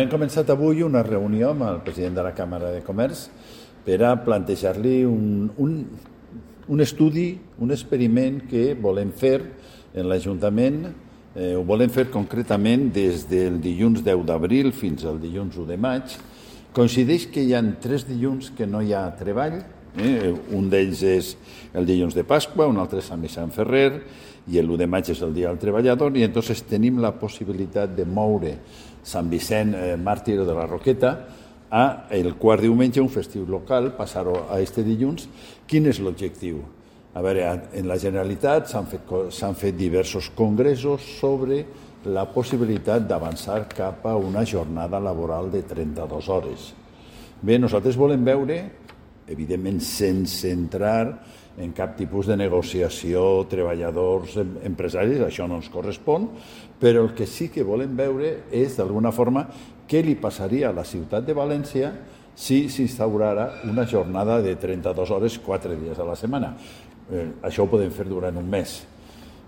Hem començat avui una reunió amb el president de la Càmera de Comerç per a plantejar-li un estudi, un experiment que volem fer en l'Ajuntament. Ho volem fer concretament des del dilluns 10 d'abril fins al dilluns 1 de maig. Coincideix que hi ha 3 dilluns que no hi ha treball. Un d'ells és el dilluns de Pasqua, un altre és Sant Vicent Ferrer i l'1 de maig és el Dia del Treballador, i entonces tenim la possibilitat de moure Sant Vicent Màrtir de la Roqueta a el quart diumenge, un festiu local, passar-ho a este dilluns. Quin és l'objectiu? A veure, en la Generalitat s'han fet diversos congressos sobre la possibilitat d'avançar cap a una jornada laboral de 32 hores. Bé, nosaltres volem veure, evidentment sense entrar en cap tipus de negociació, treballadors, empresaris, això no ens correspon, però el que sí que volem veure és, d'alguna forma, què li passaria a la ciutat de València si s'instaurara una jornada de 32 hores, 4 dies a la setmana. Això ho podem fer durant un mes.